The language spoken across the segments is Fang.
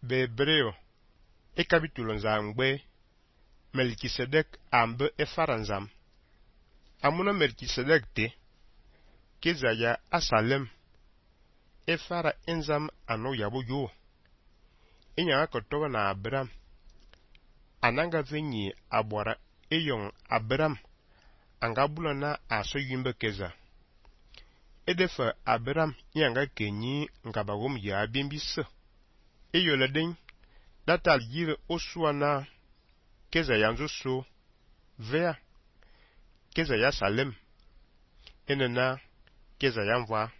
Bebreo e capítulo nzamgbe Melkisedek ambe e faranzam. Amuna Melkisedek te kezaya asalem e fara enzam ano yabo yo. Inya akotoba na Abraham. Ananga venyi abwara eyon Abraham angabula na aso yimbe keza. Edefa Abraham yanga kenyi ngabagom ya bimbisa. Eyoledeng datal yire oswana keza yanzo so vea keza ya salem enena keza yamva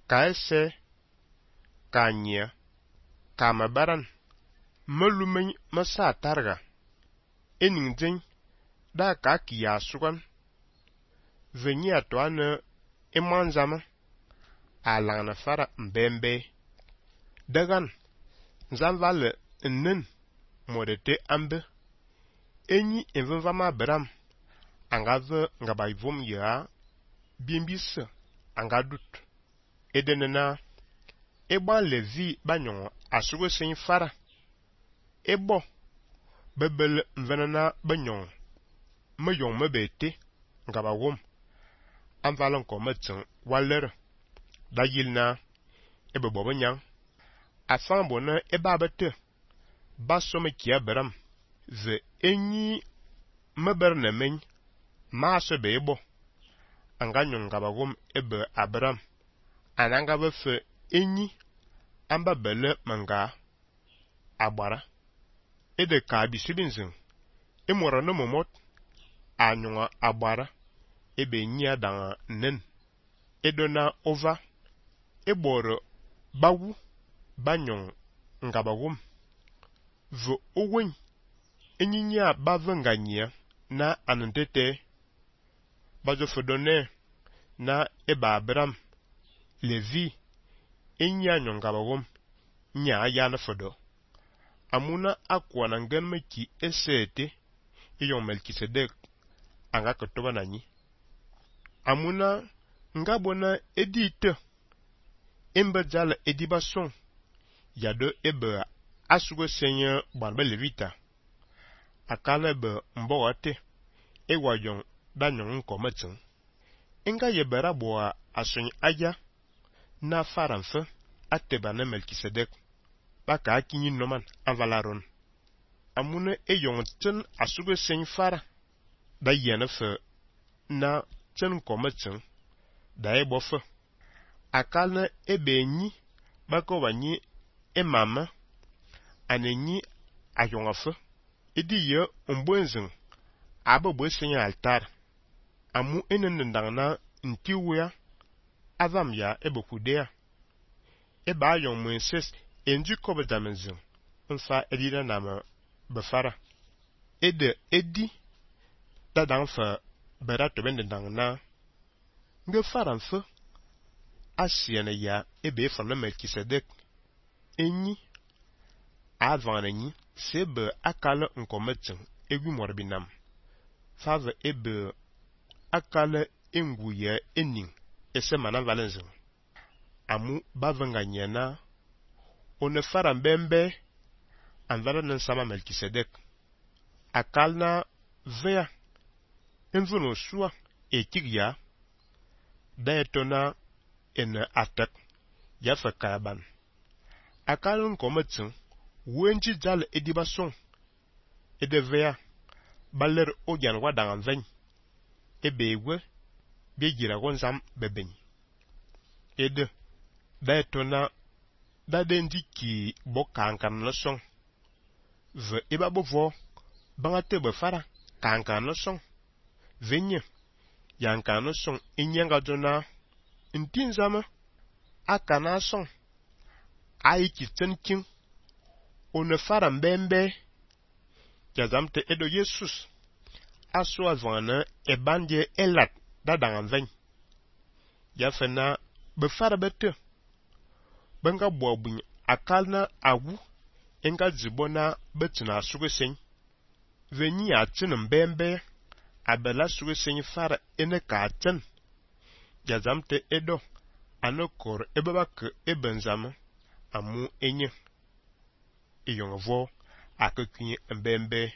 ka ese ka nya ka mabaran malumen masa targa eningden da ka kiya sugan venyi atwana emanzama alangna fara mbembe dagan nzamvale nnen modete ambe enyi envama Abraham angave ngabayvom ya bimbisa angadut edenena eba Levi banyon asugo sen fara ebo bebel mvenana banyon mayon mebete ngabawom amvalon kometsen waler dayilna ebebo nyang afan bona eba bete basome ki Abraham ve enyi meberne men maase bebo anganyon ngabawom ebe Abraham ananga befe enyi amba bele manga agbara ede ka bisilinzin emora no momot anyonga agbara ebe nyi adanga nen edona ova eboro bawu banyon ngabawom ve owen enyinya bavenganya na anentete bazofodone na eba Abraham Levi enya nyongabawom nya ya na fodo amuna akwana ngenmeki esete iyon Melkisedek anga kotoba nanyi amuna ngabona edite embedzala edibason yado ebe asugo senya banbe levita akala be mboate ewayon danyon nkometsen enga yebera boa ason aya na faranfe ateba na Melkisedek baka akinyi noman anvalaron amune eyon tsen asugo sen fara da yenefe na tsen kometsen da ebofe akala ebenyi bako banyi emama anenyi ayongafe edi ye ombwenzin abo senya altar amu enendangna ntiwea avam ya ebokudea eba ayon Moses enju kobedamenzin nfa edina nama befara edi dadangfa berato bendangna nge faranfe asiene ya ebe fana Melkisedek enyi avanenyi sebe akala nkometsen egwi morbinam fave ebe akala enguye ening ese mana valenzin amu bavenganyena one fara mbembe anvala nsama Melkisedek akalna vea envuno sua etigya daetona en atak yafa karaban akalun kometsen wenji jal edibason edevea baler ojan wadangan ven ebewe bejira gonzam beben ede daetona dadendi ki bokankan leson ve ebabovo bangate befara kankan leson venye yankan leson enyanga dona ntinzama akana son aiki tsenkin one fara mbembe jazamte edo Jesus aso avana ebandye elat dadangan ven yafena befara bete benga bobuny akalna awu enga zibona betina sugesen venyi atsin mbembe abela sugesen fara ene ka atsin jazamte edo anokor ebabak ebenzama amu enye yon vo akekui mbembe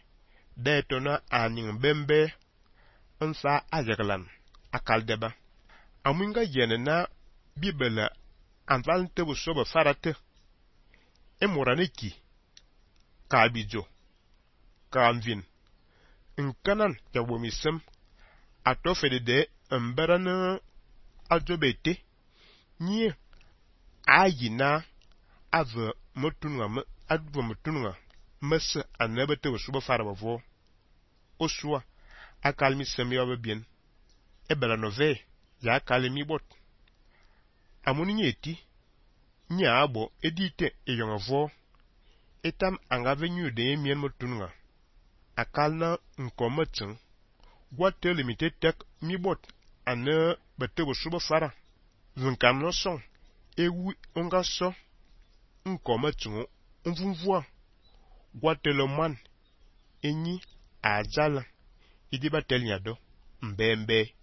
de tona aning mbembe nsa ajaglan akaldeba amunga yene na bibela anval tebu soba farate emoraneki kabijo kamvin nkanan yawomisem atofede de mberana ajobete nye ayina ave motunga advo motunga mese anabete usuba farabavo osua akalmi semyo bien ebela nove ya kalmi bot amuni nyeti nya abo edite eyongavo etam angavenyu de mien motunga akalna nkomatsin gwate limite tek mi bot ane bete usuba fara zunkan no son ewu onga so nkomatsin mvumvua gwate le man enyi ajala idiba telnyado mbembe